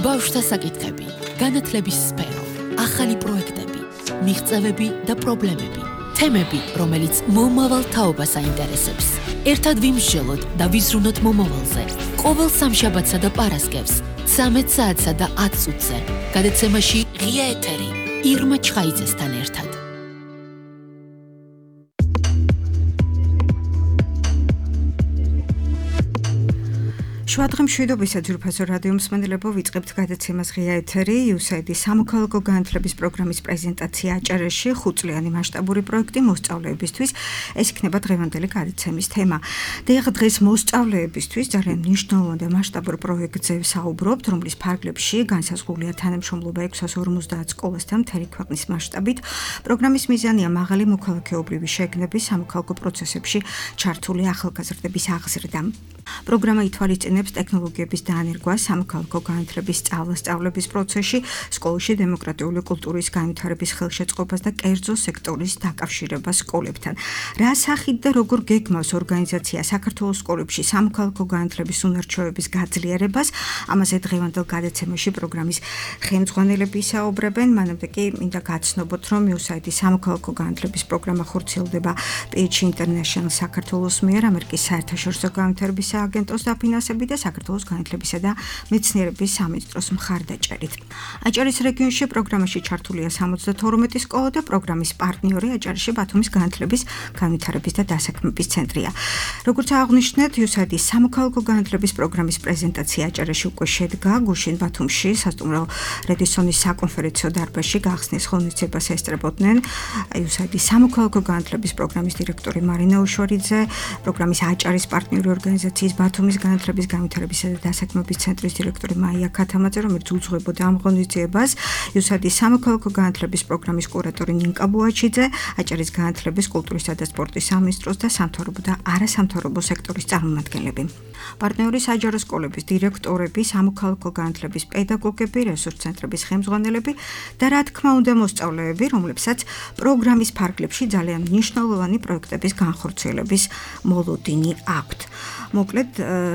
ბავშვთა საკითხები, განათლების სფერო, ახალი პროექტები, მიღწევები და პრობლემები, თემები, რომელიც მომავალ თაობას აინტერესებს. ერთად ვიმსჯელოთ და ვიზრუნოთ მომავალზე. ყოველ სამშაბათსა და პარასკევს, 13 საათსა და 10 წუთზე, გადაცემაში ღია ეთერი, ირმა ჩხაიძესთან ერთად. შუადღე მშვიდობისა ძვირფასო რადიო მსმენელებო, ვიწყებთ გადაცემას ღია ეთერი, USAID-ის სამოქალაქო განათლების პროგრამის პრეზენტაცია აჭარაში, 5-წლიანი მასშტაბური პროექტი მოსწავლეებისთვის. ეს იქნება დღევანდელი გადაცემის თემა. დღეს მოსწავლეებისთვის ძალიან მნიშვნელოვან და მასშტაბურ პროექტზე ვსაუბრობთ, რომლის ფარგლებში განსაზღვრულია თანამშრომლობა 650 სკოლასთან მთელი ქვეყნის მასშტაბით. პროგრამის მიზანია მაღალი მოქალაქეობრივი შეგნების სამოქალაქო პროცესებში ჩართული ახალგაზრდების აღზრდა. პროგრამა ითვალისწინებს ტექნოლოგიების დაანერგვას სამოქალაქო განათლების სწავლების პროცესში, სკოლაში დემოკრატიული კულტურის განვითარების ხელშეწყობას და კერძო სექტორის დაკავშირებას სკოლებთან. რა სახით და როგორ გეგმავს ორგანიზაცია საქართველოს სკოლებში სამოქალაქო განათლების უნარჩვევების გაძლიერებას? ამაზე დღევანდელ გადაცემაში პროგრამის ხელმძღვანელები ისაუბრებენ. მანამდე კი მინდა გაცნობოთ, რომ USAID-ის სამოქალაქო განათლების პროგრამა ხორციელდება PH International საქართველოს მიერ, ამერიკის საერთაშორისო განვითარების აგენტოს დაფინანსებით და საქართველოს განათლებისა და მეცნიერების სამინისტროს მხარდაჭერით. აჭარის რეგიონში პროგრამაში ჩართულია 72 სკოლა და პროგრამის პარტნიორი აჭარაში ბათუმის განათლების განვითარების და დასაქმების ცენტრია. როგორც აღნიშნეთ, USAID-ის სამოქალაქო განათლების პროგრამის პრეზენტაცია აჭარაში უკვე შედგა, გუშინ ბათუმში სასტუმრო რედისონის საკონფერენციო დარბაზში გახსნის ღონისძიებას ესწრებოდნენ USAID-ის სამოქალაქო განათლების პროგრამის დირექტორი მარინა უშვარიძე, პროგრამის აჭარის პარტნიორი ორგანიზაციის ბათუმის განათლების განვითარებისა და დასაქმების ცენტრის დირექტორი მაია ქათამაძე, რომელიც უძღვებოდა ამ ღონისძიებას, USAID-ის სამოქალაქო განათლების პროგრამის კურატორი ნინკა ბუაჩიძე, აჭარის განათლების, კულტურისა და სპორტის სამინისტროს და სამთავრობო და არასამთავრობო სექტორის წარმომადგენლები. პარტნიორი საჯარო სკოლების დირექტორები, სამოქალაქო განათლების პედაგოგები, რესურს ცენტრების ხელმძღვანელები და რა თქმა უნდა მოსწავლეები, რომლებსაც პროგრამის ფარგლებში ძალიან მნიშვნელოვანი პროექტების განხორციელების მოლოდინი აქვთ. მოკლედ,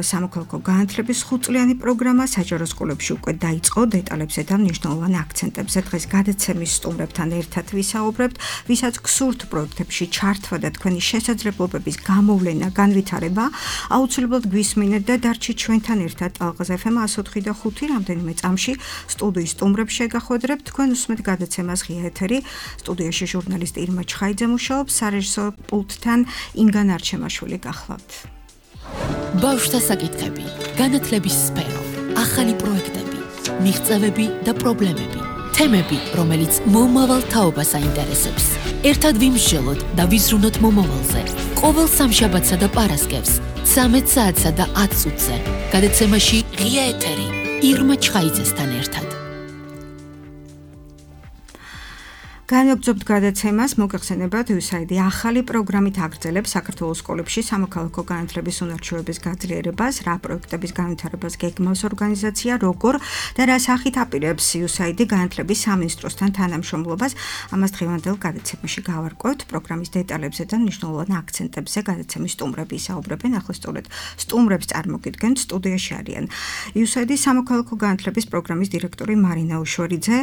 სამოქალაქო განათლების 5-წლიანი პროგრამა საჯარო სკოლებში უკვე დაიწყო, დეტალებზე და მნიშვნელოვან აქცენტებზე დღეს გადაცემის სტუმრებთან ერთად ვისაუბრებთ, ვისაც გსურთ პროექტებში ჩართვა და თქვენი შესაძლებლობების გამოვლენა, განვითარება, აუცილებლად გვისმინეთ და დარჩით ჩვენთან ერთად. ალღაზ FM 104 და 5 რამდენიმე წამში სტუდიის სტუმრებს შეგახვედრებთ. თქვენ უსმენთ გადაცემას ღია ეთერი. სტუდიაში ჟურნალისტი ირმა ჩხაიძე მუშაობს, სარეჟისორო პულტთან ინგა ნარჩემაშვილი გახლავთ. ბავშვთა საკითხები, განათლების სფერო, ახალი პროექტები, მიღწევები და პრობლემები, თემები, რომელიც მომავალ თაობას აინტერესებს. ერთად ვიმსჯელოთ და ვიზრუნოთ მომავალზე. ყოველ სამშაბათსა და პარასკევს, 13 საათსა და 10 წუთზე, გადაცემაში ღია ეთერი, ირმა ჩხაიძესთან ერთად. განვაგრძობთ გადაცემას, მოგეხსენებათ, USAID ახალი პროგრამით აგრძელებს საქართველოს სკოლებში სამოქალაქო განათლების უნარჩვევების გაძლიერებას, რა პროექტების განვითარებას გეგმავს ორგანიზაცია, როგორ და რა სახით აპირებს USAID განათლების სამინისტროსთან თანამშრომლობას. ამას დღევანდელ გადაცემაში გავარკვევთ. პროგრამის დეტალებზე და მნიშვნელოვან აქცენტებზე გადაცემის სტუმრები ისაუბრებენ. ახლა სწორედ სტუმრებს წარმოგიდგენთ, სტუდიაში არიან USAID-ის სამოქალაქო განათლების პროგრამის დირექტორი მარინა უშვარიძე,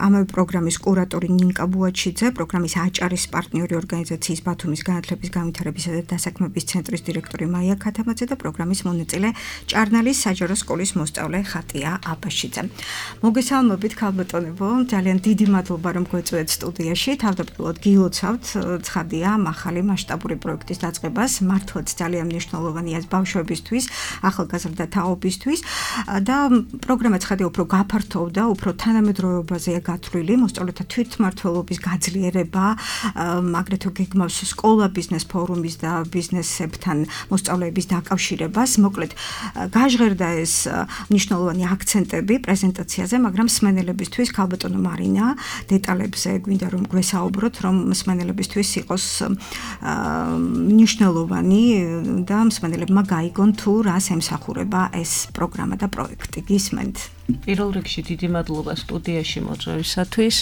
ამავე პროგრამის კურატორი ნინკა ბუაჩიძე, პროგრამის აჭარის პარტნიორი ორგანიზაციის ბათუმის განათლების განვითარებისა და დასაქმების ცენტრის დირექტორი მაია ქათამაძე და პროგრამის მონაწილე ჭარნალის საჯარო სკოლის მოსწავლე ხატია აბაშიძე. მოგესალმებით ქალბატონებო, ძალიან დიდი მადლობა რომ გვეწვევთ სტუდიაში. თავდაპირველად გილოცავთ, ცხადია, ახალი მასშტაბური პროექტის დაწყებას, მართლაც ძალიან მნიშვნელოვანია ბავშვებისთვის, ახალგაზრდა თაობისთვის და პროგრამა ცხადია უფრო გაფართოვდა, უფრო თანამედროვეობაზეა გათვლილი, მოსწავლეთა თვითმმართველობის გაძლიერება, აგრეთვე გეგმავს სკოლა ბიზნეს ფორუმის და ბიზნესებთან მოსწავლეების დაკავშირებას. მოკლედ, გაჟღერდა ეს მნიშვნელოვანი აქცენტები პრეზენტაციაზე, მაგრამ მსმენელებისთვის ქალბატონო მარინა, დეტალებზე გვინდა რომ გვესაუბროთ, რომ მსმენელებისთვის იყოს მნიშვნელოვანი და მსმენელებმა გაიგონ თუ რას ემსახურება ეს პროგრამა და პროექტი. გისმენთ? პირველ რიგში დიდი მადლობა სტუდიაში მოწვევისათვის.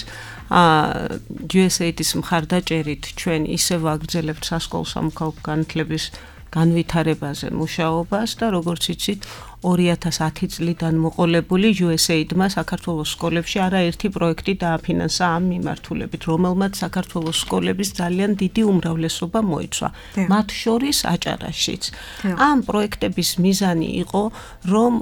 USAID-ის მხარდაჭერით ჩვენ ისევ აგრძელებთ სასკოლო სამოქალაქო განათლების განვითარებაზე მუშაობას და როგორც იცით 2010 წლიდან მოყოლებული USAID-მა საქართველოს სკოლებში არაერთი პროექტი დააფინანსა ამ მიმართულებით, რომელმაც საქართველოს სკოლების ძალიან დიდი უმრავლესობა მოიცვა. მათ შორის აჭარაშიც. ამ პროექტების მიზანი იყო, რომ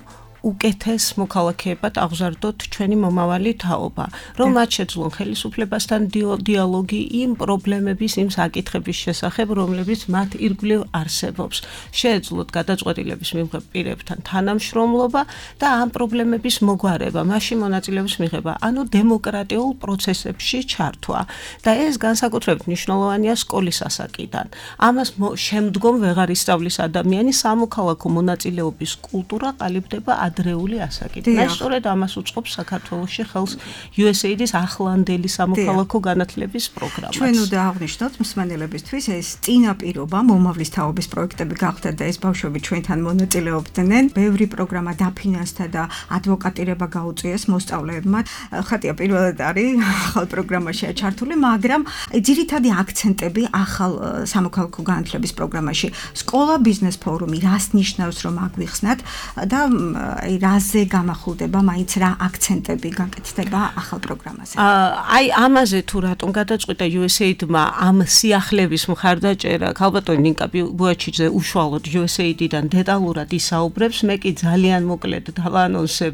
უკეთეს მოქალაქეებად აღზარდოთ ჩვენი მომავალი თაობა, რომ მათ შეძლონ ხელისუფლებასთან დიალოგი იმ პრობლემების, იმ საკითხების შესახებ, რომლებიც მათ ირგვლივ არსებობს. შეეძლოთ გადაწყვეტილების მიღებ პირებთან თანამშრომლობა და ამ პრობლემების მოგვარება, მასში მონაწილეობის მიღება, ანუ დემოკრატიულ პროცესებში ჩართვა. და ეს განსაკუთრებით მნიშვნელოვანია სკოლის ასაკიდან. ამას შემდგომ ვეღარ ისწავლის ადამიანი, სამოქალაქო მონაწილეობის კულტურა ყალიბდება ადრეული ასაკიდან. და სწორედ ამას უწყობს საქართველოში ხელს USAID-ის ახლანდელი სამოქალაქო განათლების პროგრამაც. ჩვენ უნდა აღვნიშნოთ მსმენელებისთვის ეს წინაპირობა მომავლის თაობის პროექტები გახდა და ეს ბავშვები ჩვენთან მონაწილეობდნენ. ბევრი პროგრამა დაფინანსდა და ადვოკატირება გაუწიეს მოსწავლეებმა. ხატია პირველად არის ახალ პროგრამაშია ჩართული, მაგრამ ძირითადი აქცენტები ახალ სამოქალაქო განათლების პროგრამაში სკოლა ბიზნეს ფორუმი რას ნიშნავს რომ აგვიხსნათ და რაზე გამახულდება, მაინც რა აქცენტები გაკეთდება ახალ პროგრამაზე. აი ამაზე თუ რატომ გადაწყვიტა USAID-მა ამ სიახლეების მხარდაჭერა, ქალბატონი ნინკა ბუაჩიძე უშუალოდ USAID-დან დეტალურად ისაუბრებს, მე კი ძალიან მოკლედ დავაანონსებ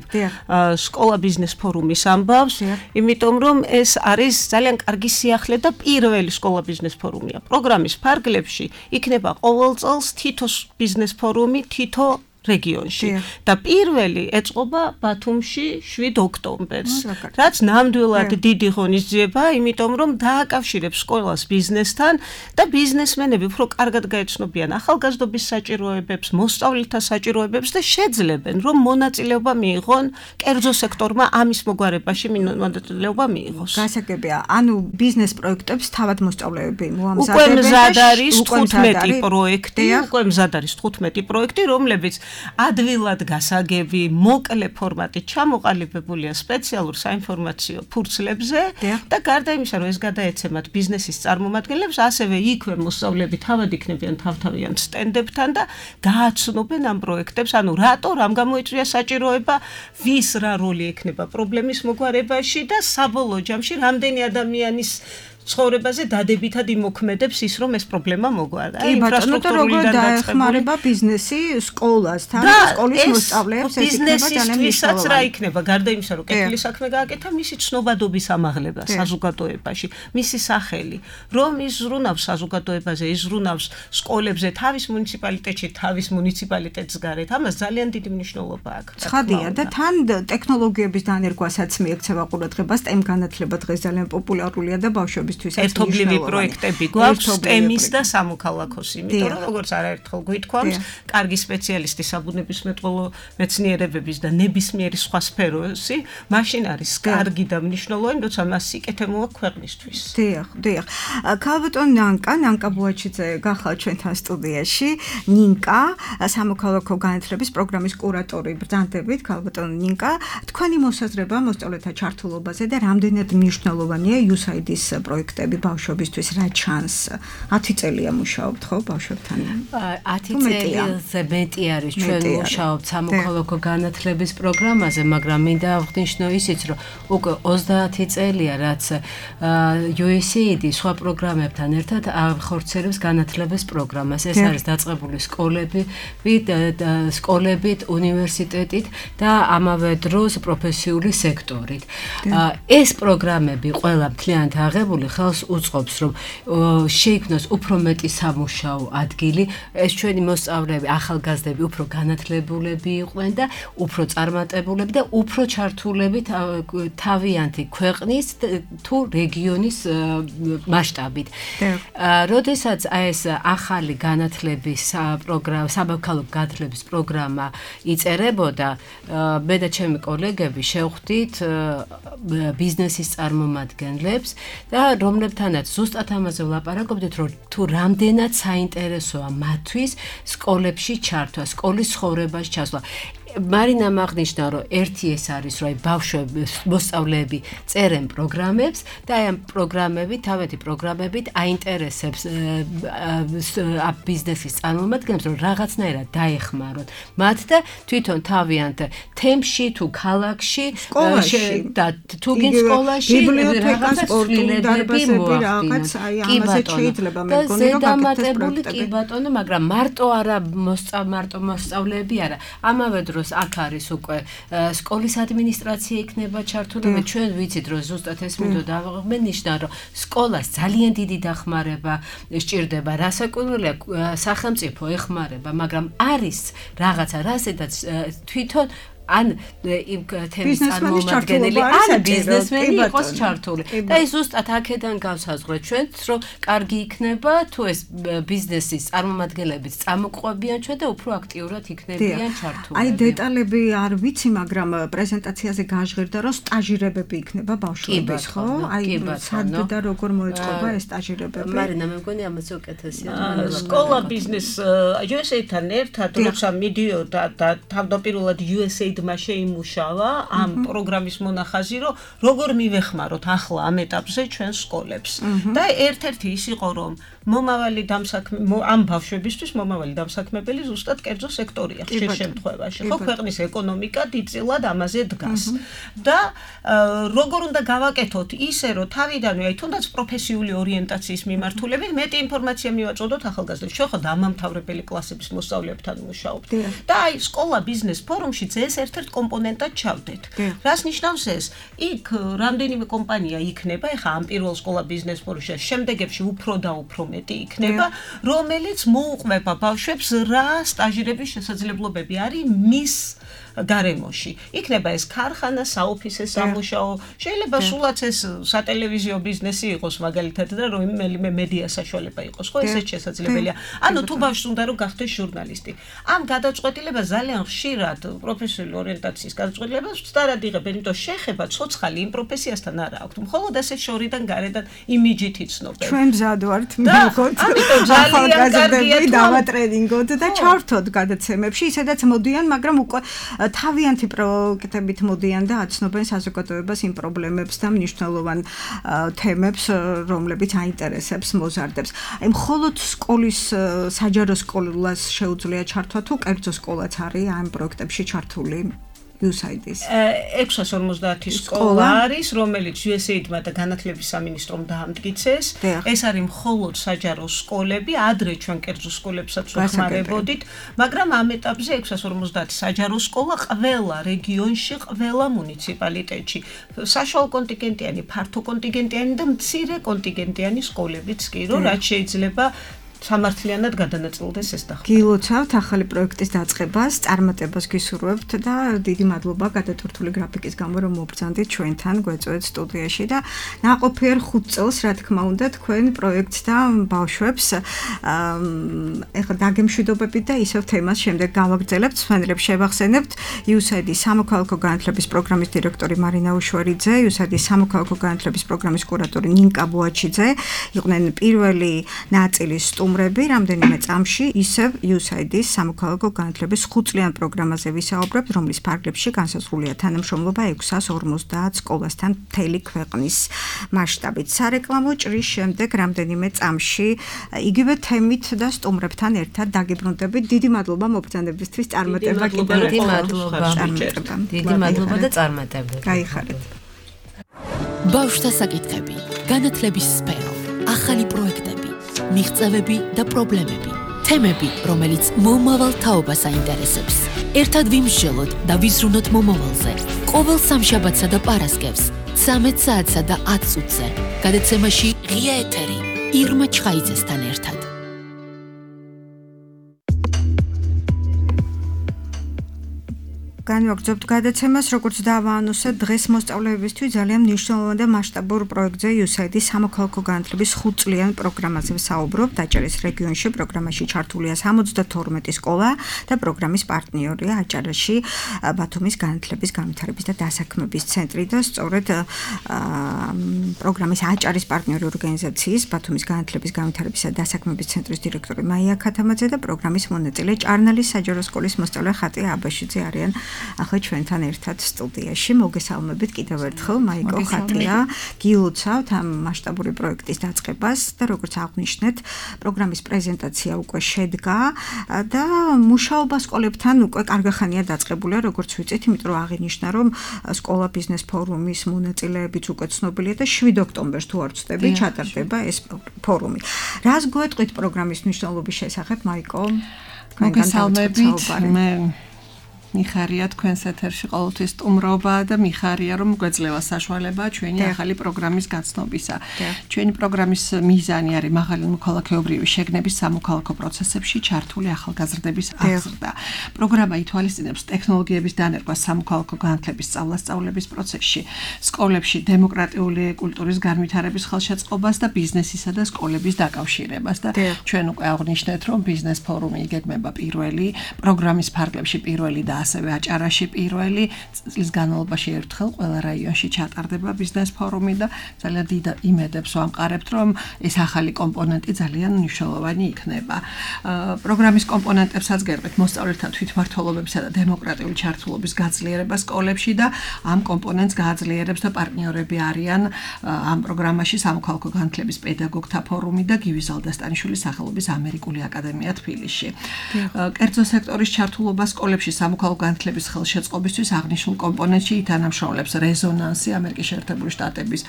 სკოლა ბიზნეს ფორუმის ამბავს, იმიტომ რომ ეს არის ძალიან კარგი სიახლე და პირველი სკოლა ბიზნეს ფორუმია. პროგრამის ფარგლებში იქნება ყოველ წელს თითო ბიზნეს ფორუმი, თითო რეგიონში და პირველი ეწყობა ბათუმში 7 ოქტომბერს. რაც ნამდვილად დიდი ღონისძიება, იმიტომ რომ დააკავშირებს სკოლას ბიზნესთან და ბიზნესმენები უფრო კარგად გაეცნობიან ახალგაზრდობის საჭიროებებს, მოსწავლეთა საჭიროებებს და შეძლებენ, რომ მონაწილეობა მიიღონ კერძო სექტორმა ამის მოგვარებაში მონაწილეობა მიიღოს. გასაგებია, ანუ ბიზნეს პროექტებს თავად მოსწავლეები მოამზადებენ. უკვე მზად არის 15 პროექტი, უკვე მზად არის 15 პროექტი, რომლებიც ადვილად გასაგები, მოკლე ფორმატით ჩამოყალიბებულია სპეციალურ საინფორმაციო ფურცლებზე და გარდა იმისა, რომ ეს გადაეცემათ ბიზნესის წარმომადგენლებს, ასევე იქვე მოსწავლეები თავად იქნებიან თავთავიან სტენდებთან და გააცნობენ ამ პროექტებს, ანუ რატო, რამ გამოიწვია საჭიროება, ვის რა როლი ექნება პრობლემის მოგვარებაში და საბოლოო ჯამში რამდენი ადამიანის ცხოვრებაზე დადებითად იმოქმედებს ის, რომ ეს პრობლემა მოგვარდა. კი, ბატონო, და როგორ დაეხმარება ბიზნესი სკოლასთან და სკოლის მოსწავლეებს ეს იქნება ძალიან მნიშვნელოვანი. რა იქნება, გარდა იმისა, რომ კეთილი საქმე გააკეთა, მისი ცნობადობის ამაღლება საზოგადოებაში, მისი სახელი, რომ ის ზრუნავს საზოგადოებაზე, ის ზრუნავს სკოლებზე, თავის მუნიციპალიტეტში, თავის მუნიციპალიტეტს გარეთ. ამას ძალიან დიდი მნიშვნელობა აქვს. ცხადია და თან ტექნოლოგიების დანერგვასაც მიექცევა ყურადღებას, STEM განათლება დღეს ძალიან პოპულარულია და ბავშვები ერთობლივი პროექტები გვაქვს STEM-ის და სამოქალაქოს, იმიტომ რომ როგორც არაერთხელ გვითქვამს, კარგი სპეციალისტი საბუნებისმეტყველო მეცნიერებების და ნებისმიერი სხვა სფეროსი, მაშინ არის კარგი და მნიშვნელოვანი, როცა მას სიკეთე მოაქვს ქვეყნისთვის. დიახ. ქალბატონ ნანკა ბუაჩიძე გახალ ჩვენთან სტუდიაში. ნინკა, სამოქალაქო განათლების პროგრამის კურატორი. ბრძანდებით, ქალბატონ ნინკა, თქვენი მოსაზრება მოსწავლეთა ჩართულობაზე და რამდენად მნიშვნელოვანია USAID-ის პროექტები ბავშვებისთვის რა ჩანს? 10 წელია მუშაობთ ხო ბავშვებთან? 10 წელზე მეტი არის ჩვენ მუშაობთ სამოქალაქო განათლების პროგრამაზე, მაგრამ მინდა აღნიშნო ისიც, რომ უკვე 30 წელია, რაც USAID სხვა პროგრამებთან ერთად ახორციელებს განათლების პროგრამას. ეს არის დაწყებული სკოლებით, უნივერსიტეტით და ამავე დროს პროფესიული სექტორით. ეს პროგრამები ყველა მთლიანად აღებული ხელს უწყობს, რომ შეიქმნას უფრო მეტი სამუშაო ადგილი, ეს ჩვენი მოსწავლეები, ახალგაზრდები უფრო განათლებულები იყვნენ და უფრო წარმატებულები და უფრო ჩართულები თავიანთი ქვეყნის თუ რეგიონის მასშტაბით. როდესაც ეს ახალი განათლების პროგრამა, სამოქალაქო განათლების პროგრამა იწერებოდა, მე და ჩემი კოლეგები შევხვდით ბიზნესის წარმომადგენლებს და რომლებთანაც ზუსტად ამაზე ვლაპარაკობდით, რომ თუ რამდენად საინტერესოა მათთვის სკოლებში ჩართვა, სკოლის ცხოვრებაში ჩასვლა. მარინამ აღნიშნა, რომ ერთი ეს არის, რომ ბავშვები, მოსწავლეები წერენ პროგრამებს და აი ამ პროგრამებით, თავეთი პროგრამებით აინტერესებს ბიზნესის წარმომადგენლებს, რომ რაღაცნაირად დაეხმაროთ მათ და თვითონ თავიანთ თემში თუ ქალაქში და თუ გინ სკოლაში ბიბლიოთეკა, სპორტული დარბაზები რაღაც აი ამაზე შეიძლება მე მგონი რომ ზედამატებული კი ბატონო, მაგრამ მარტო არა მარტო მოსწავლეები არა. ამავე დროს აქ არის უკვე სკოლის ადმინისტრაცია იქნება ჩართული. მე ჩვენ ვიცით რომ ზუსტად ეს მინდოდა აღნიშნა რომ სკოლას ძალიან დიდი დახმარება სჭირდება, რასაკვირველია სახელმწიფო ეხმარება, მაგრამ არის რაღაცა რასაც თვითონ ან იმ თემის წარმომადგენელი ან ბიზნესმენი იყოს ჩართული. და ის ზუსტად აქედან გავსაზღვრეთ ჩვენც, რომ კარგი იქნება თუ ეს ბიზნესის წარმომადგენლებიც წამოყვებიან ჩვენ და უფრო აქტიურად იქნებიან ჩართული. აი დეტალები არ ვიცი, მაგრამ პრეზენტაციაზე გაჟღერდა, რომ სტაჟირებები იქნება ბავშვების, ხო? აი სად და როგორ მოეწყობა ეს სტაჟირებები? მარინა, მე მგონი ამაზე უკეთესია. სკოლა ბიზნეს USA-თან ერთად როცა მიდიოდა და თავდაპირველად USA ድማ შეიმუშავა ამ პროგრამის მონახაზი, რომ როგორ მივეხმაროთ ახლა ამ ეტაპზე ჩვენ სკოლებს. და ერთ-ერთი ის იყო, რომ მომავალი ამ ბავშვებისთვის მომავალი დამსაქმებელი ზუსტად კერძო სექტორია ხშირ შემთხვევაში. ხო, ქვეყნის ეკონომიკა დიდწილად ამაზე დგას. და როგორ უნდა გავაკეთოთ ისე, რომ თავიდანვე აი თუნდაც პროფესიული ორიენტაციის მიმართულებით მეტი ინფორმაცია მივაწოდოთ ახალგაზრდებს. ჩვენ ხო დამამთავრებელი კლასების მოსწავლეებთან მუშაობთ. და აი სკოლა ბიზნეს ფორუმშიც ეს ერთ-ერთ კომპონენტად ჩავდეთ. რას ნიშნავს ეს? იქ რამდენიმე კომპანია იქნება, ეხა ამ პირველ სკოლა ბიზნეს ფორუმში, შემდეგებში უფრო და უფრო მეტი იქნება, რომელიც მოუყვება ბავშვებს რა სტაჟირების შესაძლებლობები არის მის გარემოში. იქნება ეს ქარხანა, საოფისე სამუშაო, შეიძლება სულაც ეს სატელევიზიო ბიზნესი იყოს მაგალითად და რომელიმე მედია საშუალება იყოს, ხო, ესეც შესაძლებელია. ანუ თუ ბავშვს უნდა რომ გახდეს ჟურნალისტი. ამ გადაწყვეტილებას ძალიან ხშირად პროფესიული ორიენტაციის გადაწყვეტილებას ვცდარად იღებენ, იმიტომ შეხება ცოცხალი იმ პროფესიასთან არა აქვთ. მხოლოდ ესე შორიდან გარედან იმიჯით იცნობენ. ჩვენ მზად ვართ მივიღოთ ახალგაზრდები დავატრენინგოთ და ჩავართოთ გადაცემებში, ისედაც მოდიან, მაგრამ უკვე თავიანთი პროექტებით მოდიან და აცნობენ საზოგადოებას იმ პრობლემებს და მნიშვნელოვან თემებს, რომლებიც აინტერესებს მოზარდებს. აი მხოლოდ სკოლის საჯარო სკოლას შეუძლია ჩართვა თუ კერძო სკოლაც არის ამ პროექტებში ჩართული? USAID-ის 650 სკოლა არის, რომელიც USAID-მა და განათლების სამინისტრომ დაამტკიცეს. ეს არის მხოლოდ საჯარო სკოლები, ადრე ჩვენ კერძო სკოლებსაც ვახმარებოდით, მაგრამ ამ ეტაპზე 650 საჯარო სკოლა ყველა რეგიონში, ყველა მუნიციპალიტეტში. საშუალო კონტინგენტიანი, ფართო კონტინგენტიანი და მცირე კონტინგენტიანი სკოლებიც კი, რომ რაც შეიძლება სამართლიანად გადანაწილდეს ეს და გილოცავთ ახალი პროექტის დაწყებას, წარმატებას გისურვებთ და დიდი მადლობა გადატვირთული გრაფიკის გამო, რომ მობრძანდით ჩვენთან გვეწვევთ სტუდიაში და ნაყოფიერ 5 წელს, რა თქმა უნდა, თქვენ პროექტს და ბავშვებს ეხლა დაგემშვიდობებით და ისევ თემას შემდეგ გავაგრძელებთ, სვენელებს შევახსენებთ. USAID-ის სამოქალაქო განათლების პროგრამის დირექტორი მარინა უშვერიძე, USAID-ის სამოქალაქო განათლების პროგრამის კურატორი ნინკა ბუაჩიძე იყვნენ პირველი ნაწილის რამდენიმე წამში ისევ USAID-ის სამოქალაქო განათლების 5-წლიან პროგრამაზე ვისაუბრებთ, რომლის ფარგლებში განსაზღვრულია თანამშრომლობა 650 სკოლასთან მთელი ქვეყნის მასშტაბით. სარეკლამო ჭრის შემდეგ რამდენიმე წამში იგივე თემით და სტუმრებთან ერთად დაგიბრუნდებით. დიდი მადლობა მობრძანებისთვის, წარმატება კიდევ დიდი მადლობა და წარმატება. გაიხარეთ. ბავშვთა საკითხები, განათლების სფერო, ახალი პროექტები, მიღწევები და პრობლემები, თემები, რომელიც მომავალ თაობას აინტერესებს. ერთად ვიმსჯელოთ და ვიზრუნოთ მომავალზე. ყოველ სამშაბათსა და პარასკევს 13 საათსა და 10 წუთზე. გადაცემაში ღია ეთერი ირმა ჩხაიძესთან ერთად. განვაგრძობთ გადაცემას, როგორც დავაანონსეთ, დღეს მოსწავლეებისთვის ძალიან მნიშვნელოვან და მასშტაბურ პროექტზე USAID-ის სამოქალაქო განათლების 5-წლიან პროგრამაზე ვსაუბრობთ. აჭარის რეგიონში პროგრამაში ჩართულია 72 სკოლა და პროგრამის პარტნიორია აჭარაში ბათუმის განათლების განვითარების და დასაქმების ცენტრი და სწორედ პროგრამის აჭარის პარტნიორი ორგანიზაციის ბათუმის განათლების განვითარების და დასაქმების ცენტრის დირექტორი მაია ქათამაძე და პროგრამის მონაწილე ჭარნალის საჯარო სკოლის მოსწავლე ხატია აბაშიძე არიან ახლა ჩვენთან ერთად სტუდიაში. მოგესალმებით კიდევ ერთხელ მაიკო ხატია. გილოცავთ ამ მასშტაბური პროექტის დაწყებას და როგორც აღვნიშნეთ, პროგრამის პრეზენტაცია უკვე შედგა და მუშაობა სკოლებთან უკვე კარგახანია დაწყებულია, როგორც ვიცით, იმიტომ რომ აღინიშნა, რომ სკოლა ბიზნეს ფორუმის მონაწილეებიც უკვე ცნობილია და 7 ოქტომბერს თუ არ ვცდები, ჩატარდება ეს ფორუმი. რას გვეტყვით პროგრამის მნიშვნელობის შესახებ, მაიკო? მოგესალმებით. მე მიხარია თქვენს ეთერში ყოველთვის სტუმრობა და მიხარია რომ გვეძლევა საშუალება ჩვენი ახალი პროგრამის გაცნობისა. ჩვენი პროგრამის მიზანი არის მაღალი მოქალაქეობრივი შეგნების სამოქალაქო პროცესებში ჩართული ახალგაზრდების აღზრდა. პროგრამა ითვალისწინებს ტექნოლოგიების დანერგვას სამოქალაქო განათლების სწავლასწავლების პროცესში, სკოლებში დემოკრატიული კულტურის განვითარების ხელშეწყობას და ბიზნესისა და სკოლების დაკავშირებას და ჩვენ უკვე აღვნიშნეთ რომ ბიზნეს ფორუმი იგეგმება პირველი, პროგრამის ფარგლებში პირველი და ასევე აჭარაში პირველი წლის განმავლობაში ერთხელ ყველა რაიონში ჩატარდება ბიზნეს ფორუმი და ძალიან დიდ იმედებს ვამყარებთ რომ ეს ახალი კომპონენტი ძალიან მნიშვნელოვანი იქნება. პროგრამის კომპონენტებსაც გერყვით მოსწავლეთა თვითმმართველობებისა და დემოკრატიული ჩართულობის გაძლიერება სკოლებში და ამ კომპონენტს გააძლიერებს და პარტნიორები არიან ამ პროგრამაში სამოქალაქო განათლების პედაგოგთა ფორუმი და გივი ზალდასტანიშვილის სახელობის ამერიკული აკადემია თბილისში. კერძო სექტორის ჩართულობა სკოლებში სამოქალაქო განათლების ხელშეწყობისთვის აღნიშნულ კომპონენტში ითანამშრომლებს რეზონანსი ამერიკის შეერთებული შტატების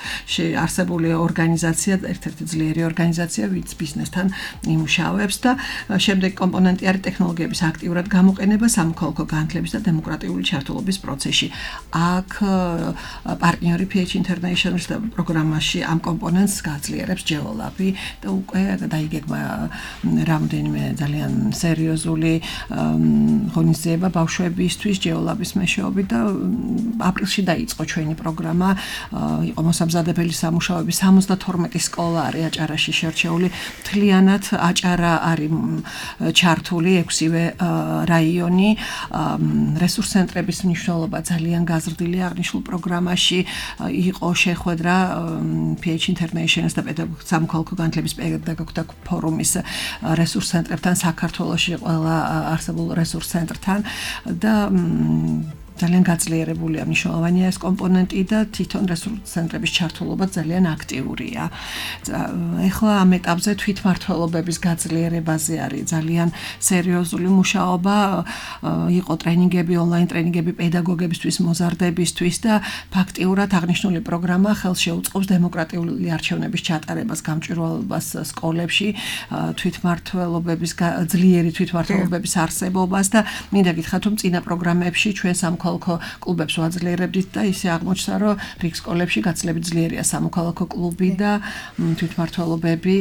არსებული ორგანიზაცია, ერთ-ერთი ძლიერი ორგანიზაცია, ვინც ბიზნესთან იმუშავებს და შემდეგი კომპონენტი არის ტექნოლოგიების აქტიურად გამოყენება სამოქალაქო განათლების და დემოკრატიული ჩართულობის პროცესში. აქ პარტნიორი PH International-ის პროგრამაში ამ კომპონენტს გაძლიერებს ჯეოლაბი და უკვე დაიგეგმა რამდენიმე ძალიან სერიოზული ღონისძიება ბავშვებისთვის ჯეოლაბის მეშვეობით და აპრილში დაიწყო ჩვენი პროგრამა. იყო მოსამზადებელი სამუშაოები 72 სკოლა არის აჭარაში შერჩეული. მთლიანად აჭარა არის ჩართული 6-ვე რაიონი. რესურს ცენტრების მნიშვნელობა ძალიან გაზრდილი აღნიშნულ პროგრამაში იყო შეხვედრა PH International-ის და სამოქალაქო განათლების პედაგოგთა ფორუმის რესურს ცენტრებთან საქართველოში ყველა არსებულ რესურს ცენტრთან და ძალიან გაძლიერებულია მნიშვნელოვანია ეს კომპონენტი და თვითონ რესურს ცენტრების ჩართულობა ძალიან აქტიურია. ეხლა ამ ეტაპზე თვითმმართველობების გაძლიერებაზე არის ძალიან სერიოზული მუშაობა. იყო ტრენინგები, ონლაინ ტრენინგები პედაგოგებისთვის, მოზარდებისთვის და ფაქტიურად აღნიშნული პროგრამა ხელს შეუწყობს დემოკრატიული არჩევნების ჩატარებას, გამჭვირვალობას სკოლებში, თვითმმართველობების ძლიერი თვითმმართველობების არსებობას და მინდა გითხრათ რომ წინა პროგრამებში ჩვენ სამოქალაქო კლუბებს ვაძლიერებდით და ისე აღმოჩნდა რომ რიგ სკოლებში გაცილებით ძლიერია სამოქალაქო კლუბი და თვითმმართველობები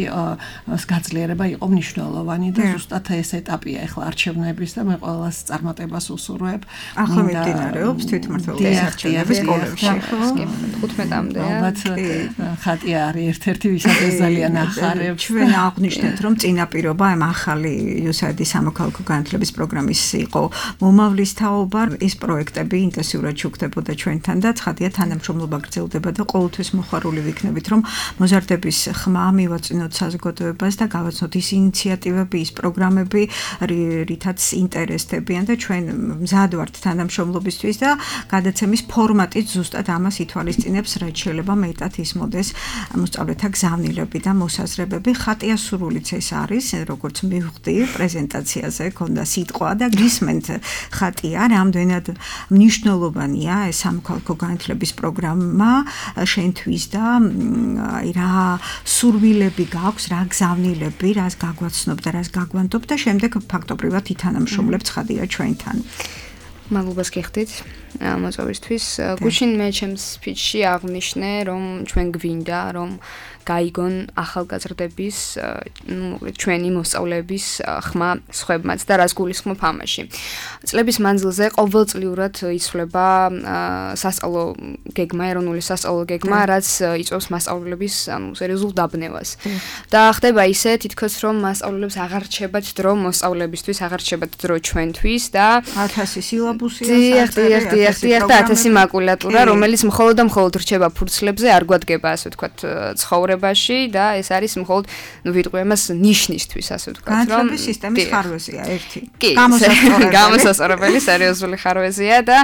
გაძლიერება იყო მნიშვნელოვანი და ზუსტად ეს ეტაპია ახლა არჩევნების და მე ყველას წარმატებას უსურვებ. ახლა მიმდინარეობს თვითმმართველობის არჩევნები სკოლებში. 15-მდე. ალბათ ხატია არის ერთ-ერთი ვისაც ძალიან ახარებს. ჩვენ აღვნიშნეთ რომ წინაპირობა ამ ახალი USAID-ის სამოქალაქო განათლების პროგრამის იყო მომავლის თაობა. ეს პროექტები ინტენსიურად შუქდებოდა ჩვენთან და ცხადია თანამშრომლობა გრძელდება და ყოველთვის მოხარული ვიქნებით რომ მოზარდების ხმა მივაწვინოთ საზოგადოებას და გავაცნოთ ის ინიციატივები, ის პროგრამები, რითაც ინტერესდებიან და ჩვენ მზად ვართ თანამშრომლობისთვის და გადაცემის ფორმატიც ზუსტად ამას ითვალისწინებს, რაც შეიძლება მეტად ისმოდეს მოსწავლეთა გზავნილები და მოსაზრებები. ხატია სრულიც ეს არის, როგორც მივხვდი პრეზენტაციაზე, ქონდა სიტყვა და გისმენთ ხატია, რამდენად მნიშვნელოვანია ეს სამოქალაქო განათლების პროგრამა შენთვის და რა სურვილები გაქვს, რა გზავნილები, რას გაგვაცნობ და რას გაგვანტობ და შემდეგ ფაქტობრივად ითანამშრომლებთ ხადია ჩვენთან. მადლობას გიხდით. მოწვევისთვის. გუშინ მე ჩემს სპიჩში აღნიშნე, რომ ჩვენ გვინდა, რომ გაიგონ ახალგაზრდების, ჩვენი მოსწავლეების ხმა სხვებმაც და რას გულისხმობ ამაში. წლების მანძილზე ყოველწლიურად იცვლება სასწავლო გეგმა, ეროვნული სასწავლო გეგმა, რაც იწვევს მასწავლებლების სერიოზულ დაბნევას. და ხდება ისე, თითქოს რომ მასწავლებლებს აღარ რჩებათ დრო მოსწავლეებისთვის, აღარ რჩებათ დრო ჩვენთვის და 1000 სილაბუსია, დიახ, და 1000 მაკულატურა, რომელიც მხოლოდ და მხოლოდ რჩება ფურცლებზე, არ გვადგება, ასე ვთქვათ, ცხოვრებაში და ეს არის მხოლოდ, ვიტყვი ამას ნიშნისთვის, ასე ვთქვათ, რომ განათლების სისტემის ხარვეზია ერთი. გამოსასწორებელი, სერიოზული ხარვეზია და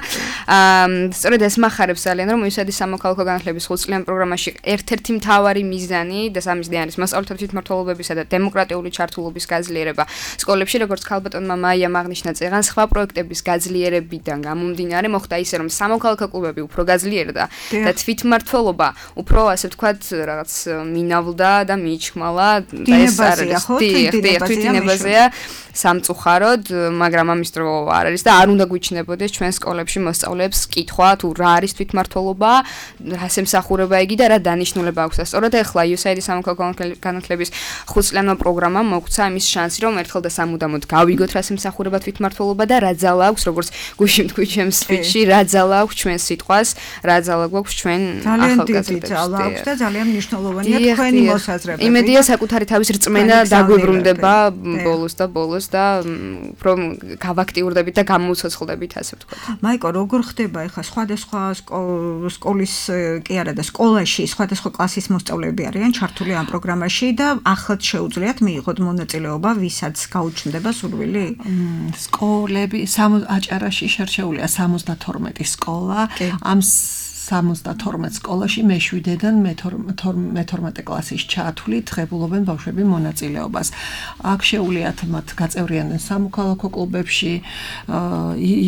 სწორედ ეს მახარებს ძალიან, რომ იუსაიდის სამოქალაქო განათლების 5-წლიან პროგრამაში ერთ-ერთი მთავარი მიზანი და სამიზნე არის მასწავლებლთა თვითმმართველობისა და დემოკრატიული ჩართულობის გაძლიერება სკოლებში, როგორც ქალბატონმა მაიამ აღნიშნა წეგან, სხვა პროექტების გაძლიერებიდან გამომდინარე მოხდა ისე, რომ სამოქალაქო კლუბები უფრო გაძლიერდა და თვითმმართველობა უფრო, ასე ვთქვათ, რაღაც მინავლდა და მიიჩქმალა და ეს არის თვითინებაზეა სამწუხაროდ, მაგრამ ამის დრო არ არის და არ უნდა გვიჩნდებოდეს ჩვენ სკოლებში მოსწავლეებს კითხვა თუ რა არის თვითმმართველობა, რას ემსახურება იგი და რა დანიშნულება აქვს. სწორედ ახლა იუსაიდის სამოქალაქო განათლების 5-წლიანმა პროგრამამ მოგვცა იმის შანსი, რომ ერთხელ და სამუდამოდ გავიგოთ რას ემსახურება თვითმმართველობა და რა ძალა აქვს, როგორც გუშინ თქვი ჩემს სპიჩში, რა ძალა აქვს ჩვენ სიტყვას, რა ძალა გვაქვს ჩვენ ახალგაზრდებს. ძალა აქვს და ძალიან მნიშვნელოვანია თქვენი მოსაზრება. იმედია საკუთარი თავის რწმენა დაგვიბრუნდება ბოლოს და უფრო გავაქტიურდებით და გამოვცოცხლდებით, ასე ვთქვათ. მაიკო, როგორ ხდება ახლა სხვადასხვა სკოლის კი არა და სკოლაში სხვადასხვა კლასის მოსწავლეები არიან ჩართული ამ პროგრამაში და ახლად შეუძლიათ მიიღოთ მონაწილეობა, ვისაც გაუჩნდება სურვილი? სკოლები აჭარაში შერჩეულია 72 სკოლა. ამ 72 სკოლაში მე-7-დან მე-12 კლასის ჩათვლით ღებულობენ ბავშვები მონაწილეობას. აქ შეუძლიათ მათ გაწევრიანდნენ სამოქალაქო კლუბებში,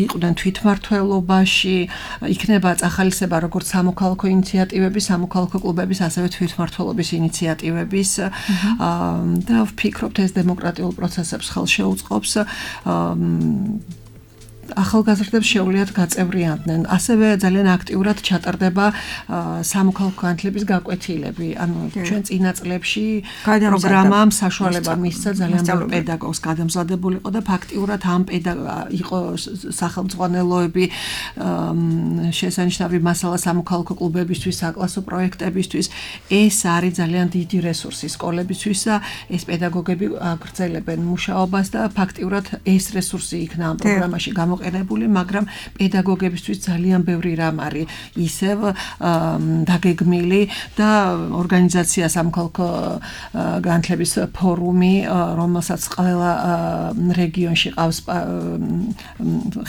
იყვნენ თვითმმართველობაში, იქნება წახალისება როგორც სამოქალაქო ინიციატივების, სამოქალაქო კლუბების, ასევე თვითმმართველობის ინიციატივების და ვფიქრობთ, ეს დემოკრატიულ პროცესებს ხელშეუწყობს. ახალგაზრდებს შეუძლიათ გაწევრიანდნენ. ასევე ძალიან აქტიურად ჩატარდება სამოქალაქო განათლების გაკვეთილები. ანუ ჩვენ წინა წლებში პროგრამამ საშუალება მისცა ძალიან ბევრ პედაგოგს გადამზადებული იყო და ფაქტიურად ამ იყო სახელმძღვანელოები შესანიშნავი მასალა სამოქალაქო კლუბებისთვის, საკლასო პროექტებისთვის. ეს არის ძალიან დიდი რესურსი სკოლებისთვის და ეს პედაგოგები აგრძელებენ მუშაობას და ფაქტიურად ეს რესურსი იქნა ამ პროგრამაში გამოყენებული, მაგრამ პედაგოგებისთვის ძალიან ბევრი რამ არის ისევ დაგეგმილი და ორგანიზაცია სამოქალაქო განათლების ფორუმი, რომელსაც ყველა რეგიონში ყავს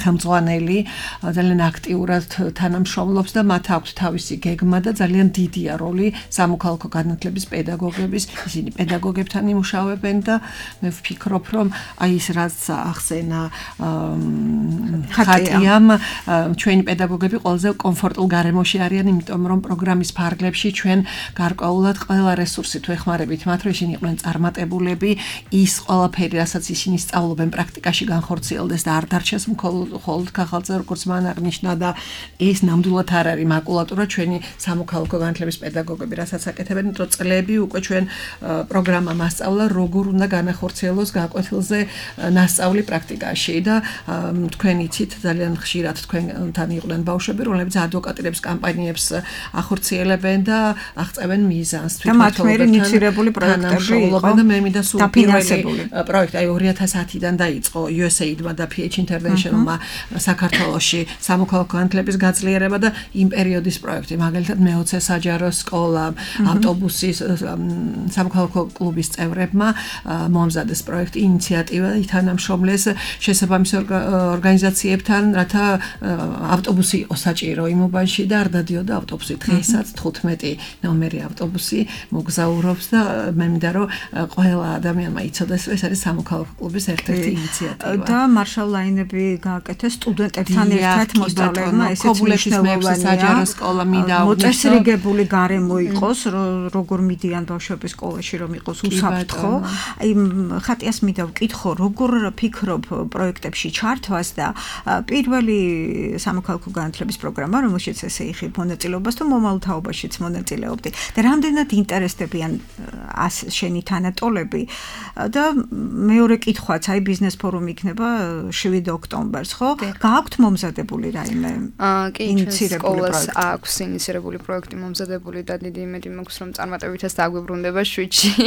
ხელმძღვანელი, ძალიან აქტიურად თანამშრომლობს და მათ აქვს თავისი გეგმა და ძალიან დიდია როლი სამოქალაქო განათლების პედაგოგების, ისინი პედაგოგებთან იმუშავებენ და მე ვფიქრობ, რომ აი ის რაც ახსენა ხატიამ ჩვენი პედაგოგები ყველაზე კომფორტულ გარემოში არიან, იმიტომ რომ პროგრამის ფარგლებში ჩვენ გარკვეულად ყველა რესურსი თუ ეხმარებით მათ, რომ ისინი იყვნენ წარმატებულები, ის ყველაფერი, რასაც ისინი სწავლობენ, პრაქტიკაში განხორციელდეს და არ დარჩეს მხოლოდ ქაღალდზე, როგორც მან აღნიშნა და ეს ნამდვილად არ არის მაკულატურა ჩვენი სამოქალაქო განათლების პედაგოგები, რასაც აკეთებენ, იმიტომ წლები უკვე ჩვენ პროგრამა მასწავლა, როგორ უნდა განახორციელოს გაკვეთილზე ნასწავლი პრაქტიკაში და თქვენ იცით ძალიან ხშირად თქვენთან იყვნენ ბავშვები, რომლებიც ადვოკატირებს კამპანიებს ახორციელებენ და აღწევენ მიზანს თვითმმართველობასთან ინიცირებული პროექტები იყო და მე მინდა სულ პირველი პროექტი აი 2010-დან დაიწყო USAID-მა და PH International-მა საქართველოში სამოქალაქო განათლების გაძლიერება და იმ პერიოდის პროექტი, მაგალითად მე-20 საჯარო სკოლა, ავტობუსი სამოქალაქო კლუბის წევრებმა მოამზადეს პროექტი, ინიციატივა, ითანამშრომლეს შესაბამის ორგანიზაციებთან, რათა ავტობუსი იყო საჭირო იმ უბანში და არ დადიოდა ავტობუსი. დღესაც 15 ნომერი ავტობუსი მოგზაურობს და მე მინდა რომ ყველა ადამიანმა იცოდეს, რომ ეს არის სამოქალაქო კლუბის ერთ-ერთი ინიციატივა. და მარშალ ლაინები გააკეთეს სტუდენტებთან ერთად მოსწავლეებმა, ესეც მნიშვნელოვანია. საჯარო სკოლა მინდა მოწესრიგებული გარემო იყოს, როგორ მიდიან ბავშვები სკოლაში, რომ იყოს უსაფრთხო. აი ხატიას მინდა ვკითხო, როგორ ფიქრობ პროექტებში ჩართვას და და პირველი სამოქალაქო განათლების პროგრამა, რომელშიც ესე იხილ მონაწილეობას თუ მომავალ თაობაშიც მონაწილეობდი და რამდენად ინტერესდებიან შენი თანატოლები და მეორე კითხვაც, აი ბიზნეს ფორუმი იქნება 7 ოქტომბერს, ხო? გააქვთ მომზადებული რაიმე ინიცირებული პროექტი? აქვს ინიცირებული პროექტი მომზადებული და დიდი იმედი მაქვს, რომ წარმატებითაც დაგვიბრუნდება 7-ში.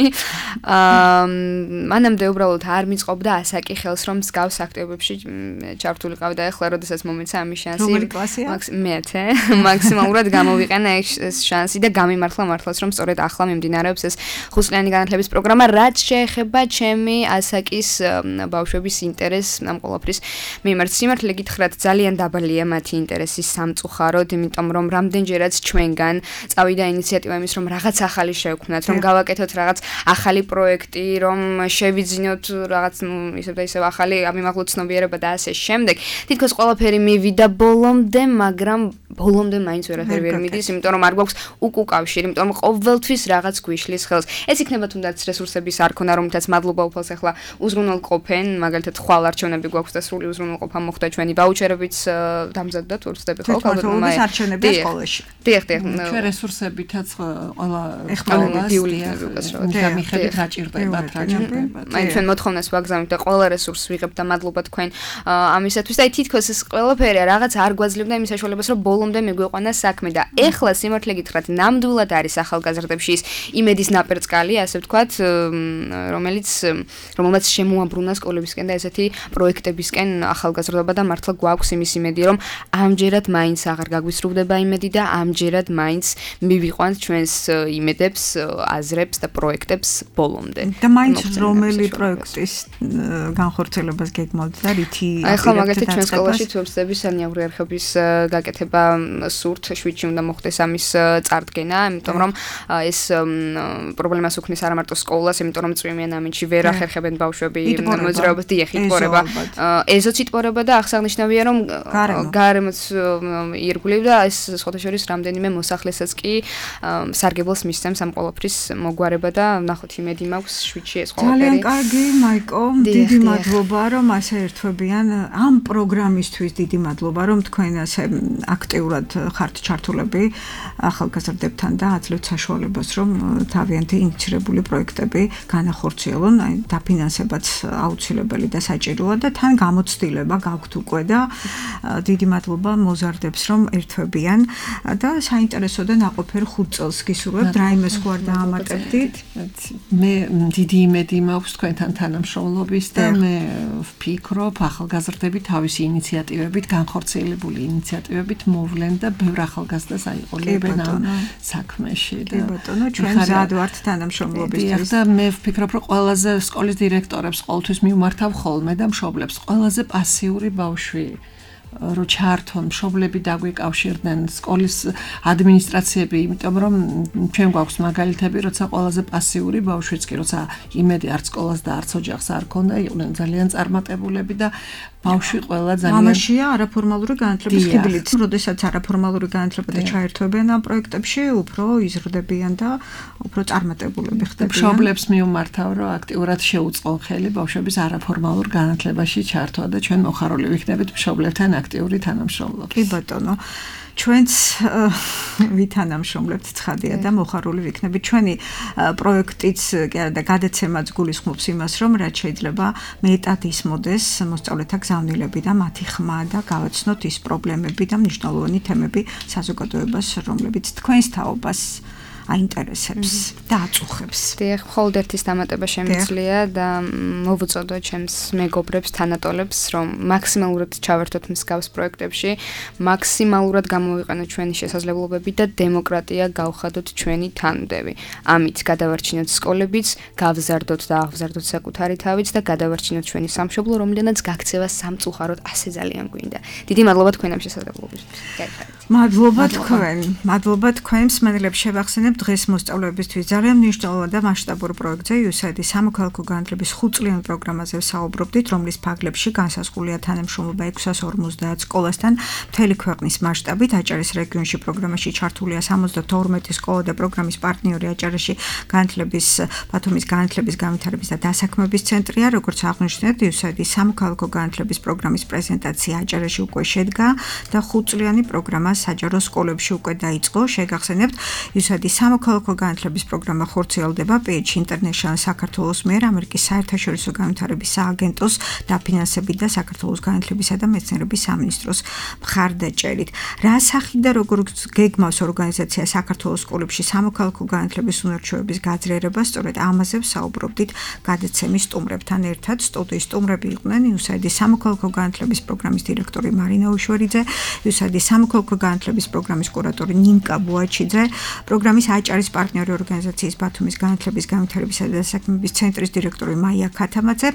მანამდე უბრალოდ არ მიწყობდა ასაკი ხელს, რომ მსგავს აქტივობებში ჩართულიყავი და ეხლა როდესაც მომეცა ამის შანსი. რომელი კლასია? მე-10 მაქსიმალურად გამოვიყენა ეს შანსი და გამიმართლა მართლაც, რომ სწორედ ახლა მიმდინარეობს ეს ხუთწლიანი განათლების პროგრამა, რაც შეეხება ჩემი ასაკის ბავშვების ინტერესს ამ ყველაფრის მიმართ. სიმართლე გითხრათ, ძალიან დაბალია მათი ინტერესი სამწუხაროდ, იმიტომ რომ რამდენჯერაც ჩვენგან წავიდა ინიციატივა იმის, რომ რაღაც ახალი შევქმნათ, რომ გავაკეთოთ რაღაც ახალი პროექტი, რომ შევიძინოთ რაღაც ისევ და ისევ ახალი ამიმაღლო ცნობიერება და ასე შემდეგ. თითქოს ყველაფერი მივიდა ბოლომდე, მაგრამ ბოლომდე მაინც ვერაფერი ვერ მიდის, იმიტომ რომ არ გვაქვს უკუკავშირი, იმიტომ რომ ყოველთვის რაღაც გვიშლის ხელს. ეს იქნება თუნდაც რესურსების არ ქონა, რომლითაც მადლობა უფალს ახლა უზრუნველყოფენ, მაგალითად ხვალ არჩევნები გვაქვს და სრული უზრუნველყოფა მოხდა ჩვენი ვაუჩერებიც დამზადდა თუ ვწდები ხო ქალბატონობის არჩევნები სკოლაში. დიახ. ჩვენ რესურსებითაც ყველა ეხმარებას და მიხედვით რა ჭირდებათ. აი ჩვენ მოთხოვნას ვაგზავნით და ყველა რესურსს ვიღებთ და მადლობა თქვენ ამისათვის და აი თითქოს ეს ყველაფერი რაღაც არ გვაძლევდა იმის საშუალებას, რომ ბოლომდე მიგვიყვანა საქმე და ეხლა სიმართლე გითხრათ, ნამდვილად არის ახალგაზრდებში ის იმედის ნაპერწკალი, ასე ვთქვათ, რომელმაც შემოაბრუნა სკოლებისკენ და ესეთი პროექტებისკენ ახალგაზრდობა და მართლა გვაქვს იმის იმედი, რომ ამჯერად მაინც აღარ გაგვისრუვდება იმედი და ამჯერად მაინც მივიყვანთ ჩვენს იმედებს, აზრებს და პროექტებს ბოლომდე. და მაინც რომელი პროექტის განხორციელებას გეგმავთ და რითი ახლა მაგალითად ჩვენ სკოლაში თვეებსების სანიავრი არხების გაკეთება სურთ 7-ში უნდა მოხდეს ამის წარდგენა, იმიტომ რომ ეს პრობლემას უქმნის არა მარტო სკოლას, იმიტომ რომ წვიმიან ამინდში ვერ ახერხებენ ბავშვები მოძრაობას, დიახ, იტყორება. ეზოც იტყორება და აღსანიშნავია, რომ გარემოც ირგვლივ და ეს სხვათა შორის რამდენიმე მოსახლესაც კი სარგებლოს მისცემს ამ ყველაფრის მოგვარება და ნახოთ იმედი მაქვს 7-ში ეს ყველაფერი. ძალიან კარგი, მაიკო, დიდი მადლობა, რომ ასე ერთვებიან ამ პროგრამისთვის, დიდი მადლობა, რომ თქვენ ასე აქტიურად ხართ ჩართულები ახალგაზრდებთან და აძლევთ საშუალებას, რომ თავიანთი ინიცირებული პროექტები განახორციელონ, აი დაფინანსებაც აუცილებელი და საჭიროა და თან გამოცდილება გაქვთ უკვე და დიდი მადლობა მოზარდებს, რომ ერთვებიან და საინტერესო და ნაყოფიერ 5 წელს გისურვებთ, რაიმე სხვა არ დაამატებდით. მე დიდი იმედი მაქვს თქვენთან თანამშრომლობის და მე ვფიქრობ, ახალგაზრდები თავისი ინიციატივებით, განხორციელებული ინიციატივებით მოვლენ და ბევრ ახალგაზრდას აიყოლებენ ამ საქმეში. კი ბატონო, ჩვენ მზად ვართ თანამშრომლობისთვის. და მე ვფიქრობ, რომ ყველაზე სკოლის დირექტორებს ყოველთვის მიმართავ ხოლმე და მშობლებს, ყველაზე პასიური ბავშვი რო ჩართონ, მშობლები დაგვიკავშირდნენ, სკოლის ადმინისტრაციები, იმიტომ რომ ჩვენ გვაქვს მაგალითები, როცა ყველაზე პასიური ბავშვიც კი, როცა იმედი არც სკოლას და არც ოჯახს არ ქონდა, იყვნენ ძალიან წარმატებულები და ბავშვი ყველა ძალიან ამაშია არაფორმალური განათლების ხიბლით. როდესაც არაფორმალური განათლება ჩაერთვებიან ამ პროექტებში, უფრო იზრდებიან და უფრო წარმატებულები ხდებიან. მშობლებს მიუმართავ, რომ აქტიურად შეუწყონ ხელი ბავშვების არაფორმალურ განათლებაში ჩართვა და ჩვენ მოხარული ვიქნებით მშობლებთან აქტიური თანამშრომლობა. კი ბატონო, ჩვენც ვითანამშრომლებთ ცხადია და მოხარული ვიქნებით. ჩვენი პროექტიც და გადაცემაც გულისხმობს იმას, რომ რაც შეიძლება მეტად ისმოდეს მოსწავლეთა გზავნილები და მათი ხმა და გავაცნოთ ის პრობლემები და მნიშვნელოვანი თემები საზოგადოებას, რომლებიც თქვენს თაობას აინტერესებს და აწუხებს. დიახ, მხოლოდ ერთის დამატება შემიძლია და მოვუწოდო ჩემს მეგობრებს, თანატოლებს, რომ მაქსიმალურად ჩავერთოთ მსგავს პროექტებში, მაქსიმალურად გამოვიყენოთ ჩვენი შესაძლებლობები და დემოკრატია გავხადოთ ჩვენი თანმდევი. ამით გადავარჩინოთ სკოლებიც, გავზარდოთ და აღზარდოთ საკუთარი თავიც და გადავარჩინოთ ჩვენი სამშობლო, რომლიდანაც გაქცევა სამწუხაროდ ასე ძალიან გვინდა. დიდი მადლობა თქვენ ამ შესაძლებლობისთვის. გაიხარეთ. მადლობა თქვენ მსმენელებს შევახსენებ დღეს მოსწავლეებისთვის ძალიან მნიშვნელოვან და მასშტაბურ პროექტზე USAID-ის სამოქალაქო განათლების 5-წლიან პროგრამაზე ვსაუბრობდით, რომლის ფარგლებში განსაზღვრულია თანამშრომლობა 650 სკოლასთან მთელი ქვეყნის მასშტაბით. აჭარის რეგიონში პროგრამაში ჩართულია 72 სკოლა და პროგრამის პარტნიორი აჭარაში ბათუმის განათლების განვითარების და დასაქმების ცენტრია. როგორც აღნიშნეთ, USAID-ის სამოქალაქო განათლების პროგრამის პრეზენტაცია აჭარაში უკვე შედგა და 5-წლიანი პროგრამა საჯარო სკოლებში უკვე დაიწყო. შეგახსენებთ, USAID-ის სამოქალაქო განათლების პროგრამა ხორციელდება PH International საქართველოს მიერ ამერიკის საერთაშორისო განვითარების სააგენტოს დაფინანსებით და საქართველოს განათლებისა და მეცნიერების სამინისტროს მხარდაჭერით. რა სახით და როგორ გეგმავს ორგანიზაცია საქართველოს სკოლებში სამოქალაქო განათლების უნარჩვევების გაძლიერებას, სწორედ ამაზე ვსაუბრობდით გადაცემის სტუმრებთან ერთად. სტუდიის სტუმრები იყვნენ USAID-ის სამოქალაქო განათლების პროგრამის დირექტორი მარინა უშვერიძე, USAID-ის სამოქალაქო განათლების პროგრამის კურატორი ნინკა ბუაჩიძე, პროგრამის აჭარის პარტნიორი ორგანიზაციის ბათუმის განათლების განვითარებისა და დასაქმების ცენტრის დირექტორი მაია ქათამაძე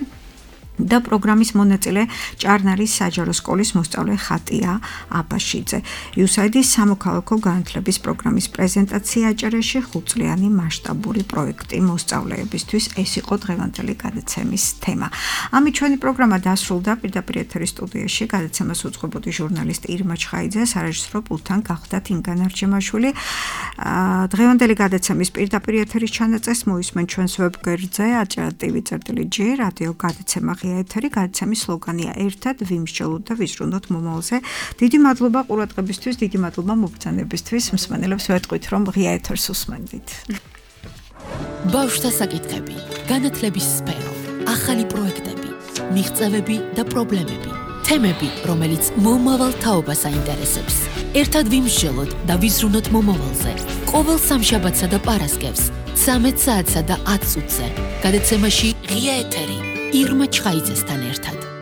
და პროგრამის მონაწილე ჭარნარის საჯარო სკოლის მოსწავლე ხატია აბაშიძე. USAID-ის სამოქალაქო განათლების პროგრამის პრეზენტაცია აჭარაში 5-წლიანი მასშტაბური პროექტი მოსწავლეებისთვის. ეს იყო დღევანდელი გადაცემის თემა. ამით ჩვენი პროგრამა დასრულდა. პირდაპირ ეთერის სტუდიაში გადაცემას უძღვებოდი ჟურნალისტი ირმა ჩხაიძე, სარეჟისორო პულტთან გახდათ ინგა ნარჩემაშვილი. დღევანდელი გადაცემის პირდაპირ ეთერის ჩანაწერს მოისმენ ჩვენს ვებგვერდზე aჭara.tv.gr რადიო გადაცემა ეთერი. გადაცემის სლოგანია ერთად ვიმსჯელოთ და ვიზრუნოთ მომავალზე. დიდი მადლობა ყურადღებისთვის, დიდი მადლობა მობრძანებისთვის. მსმენელებს ვეთყვით, რომ ღია ეთერს უსმენდით. ბავშვთა საკითხები, განათლების სფერო, ახალი პროექტები, მიღწევები და პრობლემები, თემები, რომელიც მომავალ თაობას აინტერესებს. ერთად ვიმსჯელოთ და ვიზრუნოთ მომავალზე. ყოველ სამშაბათსა და პარასკევს 13 საათსა და 10 წუთზე. გადაცემაში ღია ეთერი ირმა ჩხაიძესთან ერთად.